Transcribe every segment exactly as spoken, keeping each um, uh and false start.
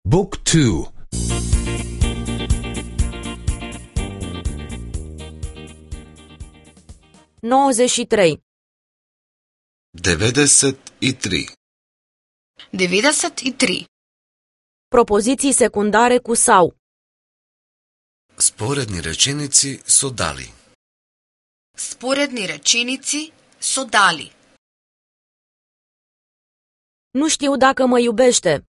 Book two. nouăzeci și trei. devedeset i tri. devedeset i tri. Propoziții secundare cu sau. Споредни реченици со дали. Споредни реченици со дали. Nu știu dacă mă iubește.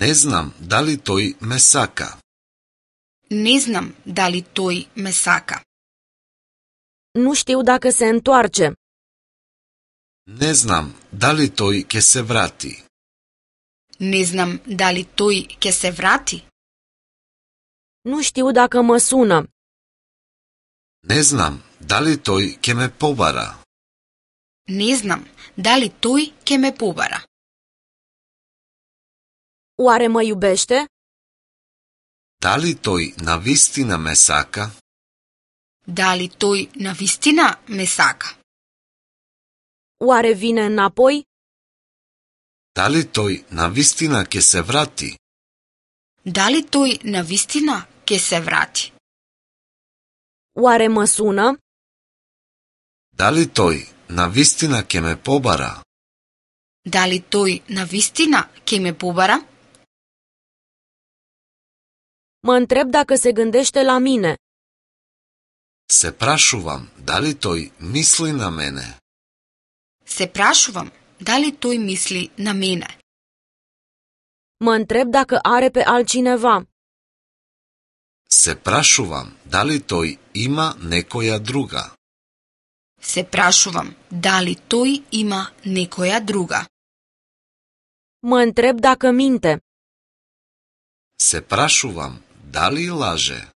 Не знам дали тој ме сака. Не знам дали тој ме сака. Nu știu dacă se întoarce. Не знам дали тој ќе се врати. Не знам дали тој ќе се врати. Nu știu dacă mă sună. Не знам дали тој ќе ме побара. Не знам дали тој ќе ме побара. Oare mă iubește? Дали тој навистина ме сака? Дали тој навистина ме сака? Oare vine înapoi? Дали тој навистина ќе се врати? Дали тој навистина ќе се врати? Oare mă sună? Дали тој навистина ќе ме побара? Дали тој навистина ќе ме побара? Mă întreb dacă se gândește la mine. Се прашувам дали тој мисли на мене. Се прашувам дали тој мисли на мене. Mă întreb dacă are pe altcineva. Се прашувам дали тој има некоја друга. Се прашувам дали тој има некоја друга. Mă întreb dacă minte. Се прашувам дали лаже.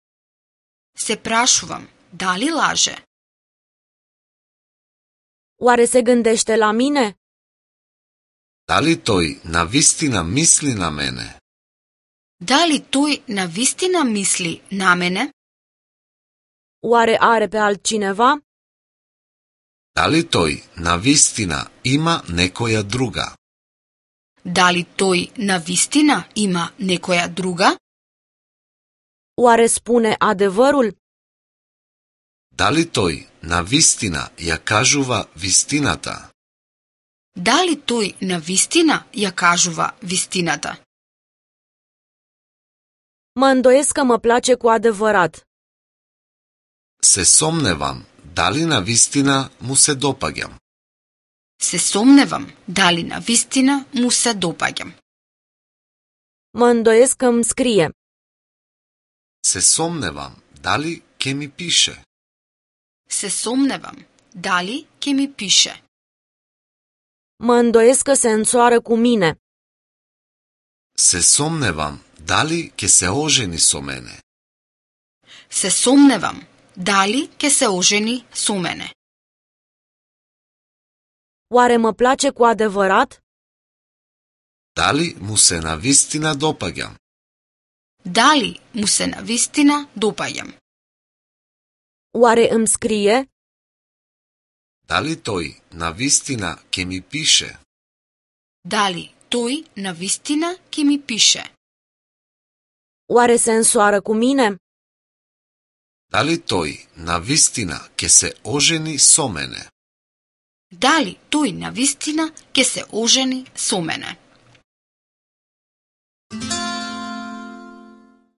Се прашувам дали лаже. Oare se gândește la mine? Дали тој навистина мисли на мене? Дали тој навистина мисли на мене? Oare are pe altcineva? Дали тој навистина има некоја друга? Дали тој навистина има некоја друга? Oare spune adevărul? Дали тој навистина ја кажува вистината? Дали тој навистина ја кажува вистината? Mă îndoiesc că mă place cu adevărat. Се сомневам дали навистина му се допаѓам. Се сомневам дали навистина му се допаѓам. Mă îndoiesc că îmi scrie. Се сомневам дали ќе ми пише. Се сомневам дали ќе ми пише. Mă îndoiesc că se însoară cu mine. Се сомневам дали ќе се ожени со мене. Се сомневам дали ќе се ожени со мене. Oare mă place cu adevărat? Дали му се навистина допаѓам? Дали му се навистина допаѓам? Oare îmi scrie? Дали тој навистина ќе ми пише? Дали тој навистина ќе ми пише? Oare se însoară cu mine? Дали тој навистина ќе се ожени со мене? Дали тој навистина ќе се ожени со мене?